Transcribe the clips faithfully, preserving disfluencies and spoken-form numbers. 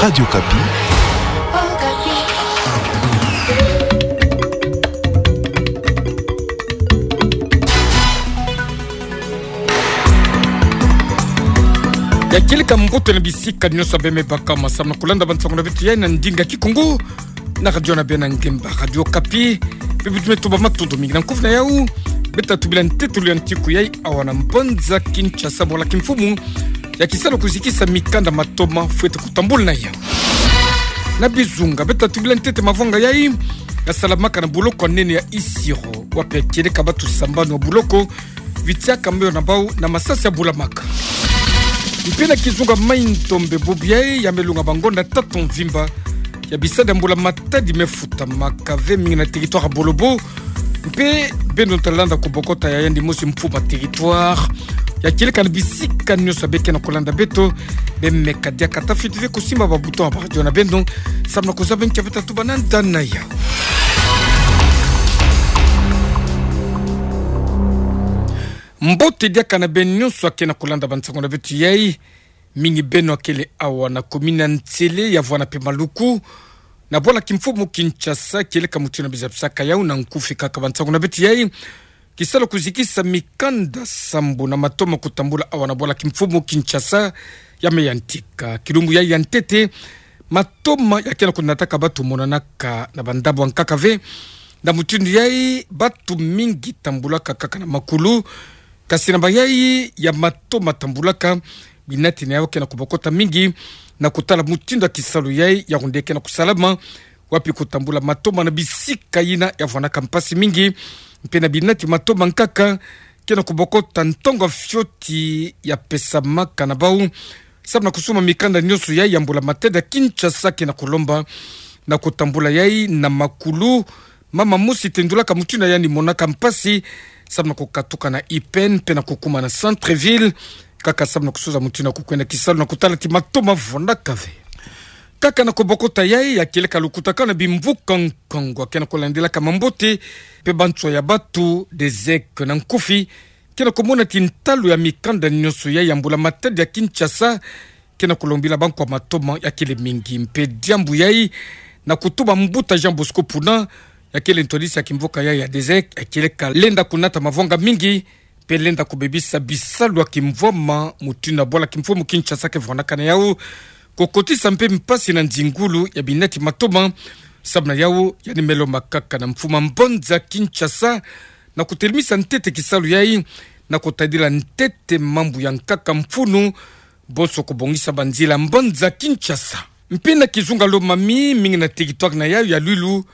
Radio Okapi. Ya kieleka mbote na bisika nyonso beme baka, samu na kulanda bansango na beto ya na ndinga Kikongo na radio na beno ya ngemba, Radio Okapi. Bibi tume tuba matondo mingi. Na nkufi na yau, beta tubila ntetolo ya ntiku yai awa na mbanza Kinshasa, bwala kimfumu ya kisalu kuzikisa mikanda matoma fwete kutambula na yau. Na bizunga, beta tubila ntete mavanga yai yasalamaka na boloko ya nene ya Isiro, wapi ya kieleka batu sambanu wa boloko bitiaka mio na bau na masasi ya bulamaka. Mpe na kizunga Mai-Ndombe, bobu yai ya melunga bangonda tatu mvimba ya bisadi ya mbula matadi mefutamaka ve mingi na territoire Bolobo. Mpe beno talanda kubokota ya yandi mosi mfumu ya territoire ya kieleka na bisika nyonso beke na kulanda beto, beme kadiaka, tafiti ve kusimba ba bouton ya ba radio na beno, samu na kuzaba nkia beta tuba na ndani na yau. Mbote diaka na beno nyonso ake na kulanda bansango na beto yai, mingi beno akele awa na commune ya Nsele ya vwanda mpe Maluku, na bwala kimfumu Kinshasa, kieleka mutindu bizabisaka yau na nkufi kaka bansango na beto yai. Kisalu kuzikisa mikanda sambu na matoma kutambula awa na bwala kimfumu Kinshasa ya me yantika. Kilumbu yai ya ntete, matoma yake na kunataka batu monanaka na bandambu ya nkaka ve. Na mutindu yai, batu mingi tambulaka kaka na makulu. Kasi na mayai ya matoma tambulaka, binati na yau ke na kubokota mingi na kutala mutindu ya kisalu yai ya kunde ke na kusalama, wapi kutambula matoma na bisika yina ya vwandaka mpasi mingi, mpe na binati matoma nkaka ke na kubokota ntangu ya fioti ya pesamaka na bau, samu na kusumba mikanda nyonso yai ya mbula matadi ya Kinshasa ke na kulomba na kutambula yai na makulu. Mama mosi tendulaka mutindu yandi monaka mpasi, samu na kukatuka na I P N mpe na kukuma na centre-ville, kaka samu na kusosa mutindu ya kukwenda kisalu na kutala ti matoma vwandaka ve. Kaka na kubokota yai, ya kieleka lukutakanu na bimvuka nkangu ake na kulandelaka mambote mpe banswa ya batu, DESEC na nkufi, ke na kumona ti ntalu ya mikanda nyonso yai ya mbula matadi ya Kinshasa ke na kulombila bankwa matoma ya kele mingi. Mpe diambu yai, na kutuba mbuta Jean Bosco Puna, ya kele ntwadisi ya kimvuka yai ya DESEC, ya kieleka lenda kunata mavanga mingi, mpe lenda kubebisa bisalu ya kimvwama mutindu bwala kimfumu Kinshasa ke vwandaka na yau, kukotisa mpe mpasi na nzingulu ya binati matoma. Samu na yau, yandi me lomba kaka na mfumu ya mbanza Kinshasa na kutelemisa ntete kisalu yai, na kutadila ntete mambu ya nkaka mfunu, bonso kubongisa banzila mbanza Kinshasa. Mpe na kizunga Lomami, mingi na territoire na yau ya Lwilu,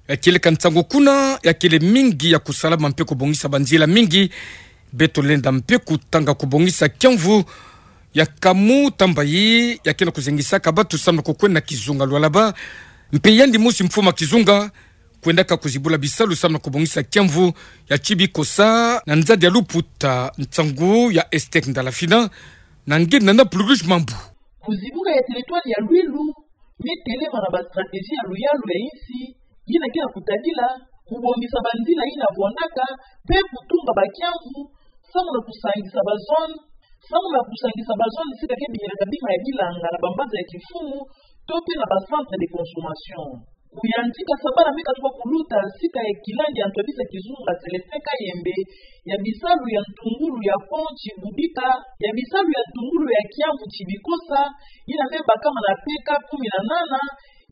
ya kieleka nsangu kuna ya kele mingi ya kusalama mpe kubongisa banzila mingi. Beto lenda mpe kutanga kubongisa kiamvu ya Kamu Tambayi, ya ke na kuzengisaka batu samu na kukwenda na kizunga Lualaba. Mpe yandi mosi mfumu ya kizunga kwendaka kuzibula bisalu samu na kubongisa kiamvu ya Tibikosa na nzadi ya Luputa. Nsangu ya Estec Ndalafina, na nge na na Plurish Mambu. Kuzibuka ya territoire ya Lwilu me telema na ba stratégie ya luyalu ya insi, yina ke na kutadila kubongisa banzila yina vwandaka, mpe kutunga bakiamvu samu na kusangisa bazone, samu na kusangisa bazone sika ke binyelaka bima ya bilanga na bambanza ya kimfumu, to mpe na ba centre de consommation. Kuyantika sabala me katuka kuluta, sika ya kilandi ya ntwadisi ya kizunga Célestin Kayembe, ya bisalu ya ntungulu ya pont Tibudika, ya bisalu ya ntungulu ya kiamvu Tibikosa, yina me bakama na P K kumi na nana,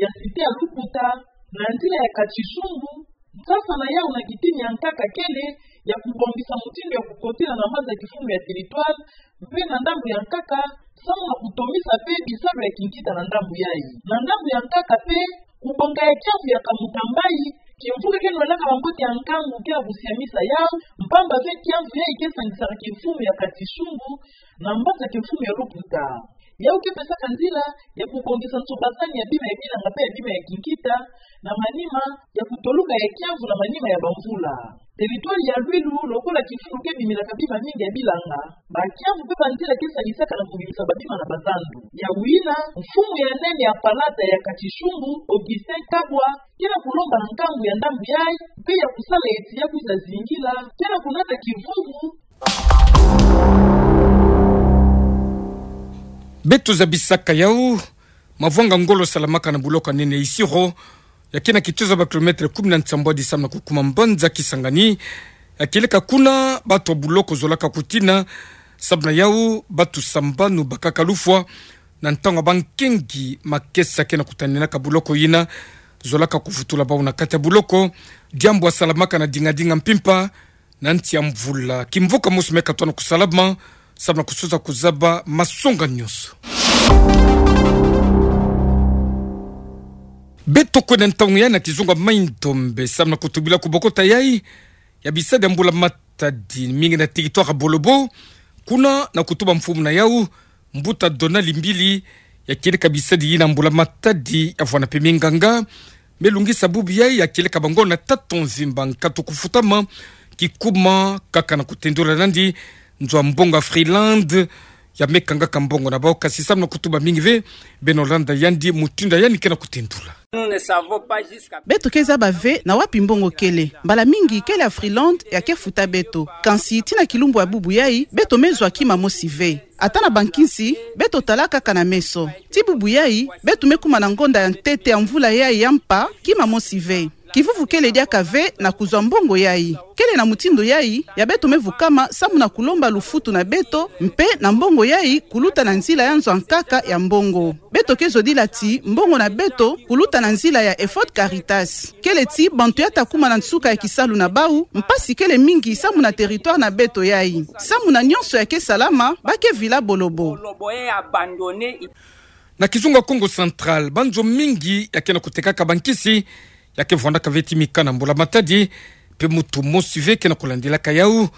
ya cité ya Luputa, na nzila ya Katisumbu, nsasa na yau na kitini ya nkaka kele ya kubongisa mutindu ya kukotila na mbanza kimfumu ya territoire, mpe na ndambu ya nkaka, samu na kutomisa mpe bisalu ya kinkita na ndambu yai. Na ndambu ya nkaka mpe, kubonga ya kiamvu ya Kamu Tambayi, kimvuka ke nwelaka mambote ya nkangu ke na kusiamisa yau, mpamba mpe kiamvu yai ke sangisaka kimfumu ya Katisumbu na mbanza kimfumu ya Luputa. Yau ke pesaka nzila ya kubongisa nsobasani ya bima ya bilanga mpe ya bima ya kinkita, na manima ya kutoluka ya kiamvu na manima ya bamvula. Territoire ya Lwilu, lokola kifulu ke bimelaka bima mingi ya bilanga, bakiamvu mpe banzila ke salisaka na kobimisa babima na bazandu. Ya wina, mfumu ya nene ya palata ya Katisumbu, Augustin Kabwa, ke na kulomba na nkangu ya ndambu yai, mpe ya kusala eti ya kwiza zingila, ke na kunata kivuvu. Beto zabisaka yau, Mavwanga ngolo salamaka na buloko ya nene Isiro, ya ke na kitoza ba kilometre kumi na nsambwadi samu na kukuma mbanza Kisangani, ya kieleka kuna bato buloko zolaka kutina, samu na yau bato sambanu bakaka lufwa, na ntangu ya bankengi makesa ke na kutaninaka buloko yina, zolaka kuvutula bau na kati ya buloko, diambu ya salamaka na dingadinga mpimpa, na nti ya mvula. Kimvuka mosi meka tona kusalama, samu na kusosa kuzaba masonga nyonso. Beto kwenda ntangu yai na kizunga Mai-Ndombe, samu na kutubila kubokota yai ya bisadi ya mbula matadi, mingi na territoire Bolobo, kuna na kutuba mfumu na yau, Mbuta Donald Mbili, ya kieleka bisadi yina mbula matadi, ya vwanda mpe minganga me lungisa bubu yai, ya kieleka bango na tatu mvimba nkatu kufutama, kikuma kaka na kutendula nandi nzo ya mbongo ya Freeland, ya me kangaka mbongo na bau, kasi samu na kutuba mingi ve, beno landa yandi mutindu yandi ke na kutendula. Beto ke zaba ve na wapi mbongo kele. Mbala mingi kele ya Freeland ya ke futa beto. Kasi tii na kilumbu ya bubu yai, beto me zwa kima mosi ve. Ata na bankisi, beto tala kaka na meso. Tii bubu yai, beto me kuma na ngonda ya ntete ya mvula yai ya mpa, kima mosi ve. Kivuvu kele diaka ve na kuzwa mbongo yai. Kele na mutindu yai, ya beto me vukama samu na kulomba lufutu na beto, mpe na mbongo yai kuluta na nzila ya nzo ya nkaka ya mbongo. Beto ke zodila ti mbongo na beto kuluta na nzila ya Effort Caritas. Kele ti bantu ya ta kuma na nsuka ya kisalu na bau, mpasi kele mingi samu na territoire na beto yai. Samu na nyonso ya ke salama, ba ke vila Bolobo. Na kizunga Kongo Central, banzo mingi ya ke na kutekaka bankisi, ya ke vwandaka ve ti mikana mbula matadi, mpe mutu mosi ve ke na kulandilaka yau,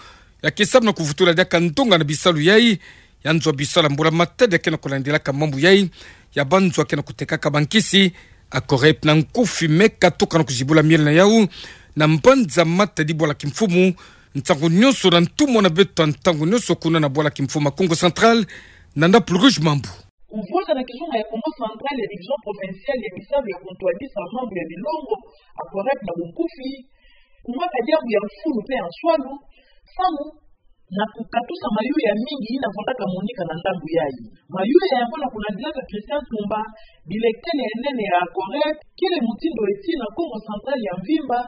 ya ke samu na kuvutula diaka ndonga na bisalu yai, ya nzo ya bisalu ya mbula matadi ya ke na kulandilaka mambu yai, ya banzo ya ke na kutekaka bankisi, Acorep na nkufi meka tuka na kuzibula miel na yau, na mbanza Matadi bwala kimfumu, ntangu nyonso na ntumwa na beto ntangu nyonso kuna na bwala kimfumu ya Kongo Central, na Naples Rouge Mambu. Kuvwanda na kizunga ya Kongo Central ya division provinciale ya bisalu ya kuntwadisa mambu ya bilongo, Acorep na bunkufi, kumaka diambu ya mfulu mpe ya nswalu, samu na kukatusa mayuya mingi yina vwandaka monika na ndambu yai. Mayuya yango na kulandilaka Christian Tumba, directeur ya nene ya Acorep, kele mutindu eti na Kongo Central ya mvimba,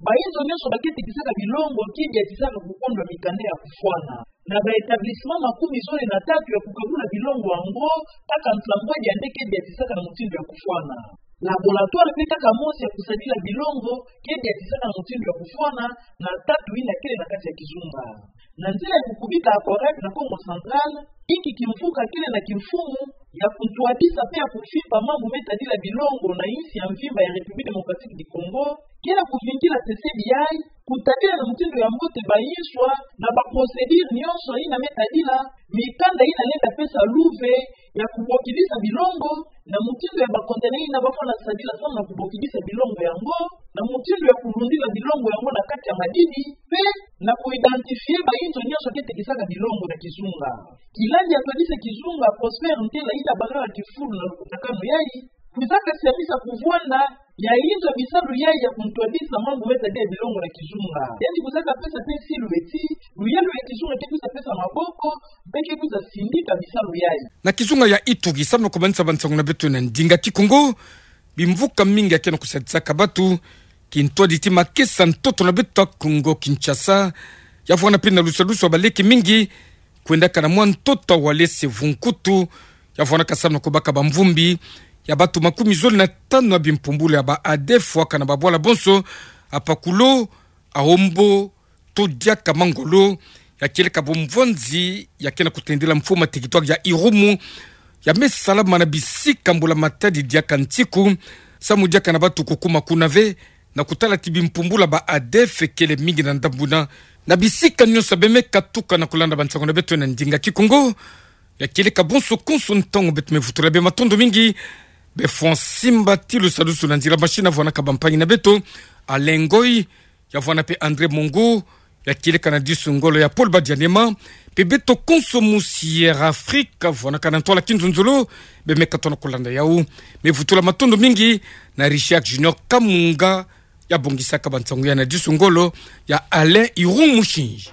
bainzo nyonso ba ke tekisaka bilongo ke biatisaka kukondwa mikanda ya kufwana. Na ba établissement makumi zole na tatu ya kukabula bilongo yango, kaka nsambwadi ya nde ke biatisaka na mutindu ya kufwana. Laboratoire mpe kaka mosi ya kusadila bilongo ke biatisaka na mutindu ya kufwana, na tatu yina kele na kati ya kizunga. Na nzila ya kukubika Acorep na Kongo Central, inki kimvuka kele na kimfumu ya kuntwadisa mpe ya kufimpa mambu me tadila bilongo na insi ya mvimba ya République Démocratique du Congo, ke na kuvingila sesedi yai, kutadila na mutindu ya mbote baiswa na ba procédure nyonso yina me tadila mikanda yina lenda pesa luve ya kubokidisa bilongo, na mutindu ya ba conteneur yina ba fwana sadila samu na kubokidisa bilongo yango, na mutindu ya kulundila bilongo yango na kati ya madidi, mpe na ku identifier bainzo nyonso ke tekisaka bilongo na kizunga. Kilandi ya twadisa kizunga, Prosper Ntela, yina bakala kifulu na lukutakanu yai, kwizaka siamisa kuvwanda ya inzo ya bisalu yai ya kuntwadisa mambu me tadila bilongo na kizunga. Yandi kwizaka pesa mpe silu eti, luyalu ya kizunga ke kwiza pesa maboko, mpe ke kwiza sindika bisalu yai. Na kizunga ya Ituri, samu na kumanisa bansangu na beto na ndinga Kikongo, bimvuka mingi ya ke na kusadisaka bato, kintwadi ti makesa ntoto na beto ya Congo Kinshasa, ya vwanda mpe na lusadusu ya baleke mingi, kwendaka na mwa ntoto ya Walese Vunkutu, ya vwandaka samu na kubaka bamvumbi ya bato makumi zole na tanu ya bimpumbulu ya ba ADF, waka na babwala bonso, Apakulo, Aombo, to diaka Mangolo, ya kieleka bumvwanzi ya ke na kutendela mfumu ya territoire ya Irumu, ya me salama na bisika mbula matadi diaka nsiku, samu diaka na bato kukuma kuna ve, na kutala ti bimpumbulu ya ba ADF kele mingi na ndambu yina. Na bisika nyonso beno me katuka na kulanda bansangu na beto na ndinga Kikongo, ya kieleka bonso konso ntangu beto me vutula beno matondo mingi. Beno fwa simba ti lusadusu na nzila machine, ya vwandaka bampangi na beto, Alain Ngoy, ya vwanda mpe André Mongo, ya kieleka na disu ngolo ya Paul Badianema, mpe beto konso mu Sierra Africa, vwandaka na ntwala kinzonzolo, beno me katuka na kulanda yau. Me vutula matondo mingi na Richard Junior Kamunga, ya bongisaka bansangu yai na disu ngolo ya Alain Irumu Shinji.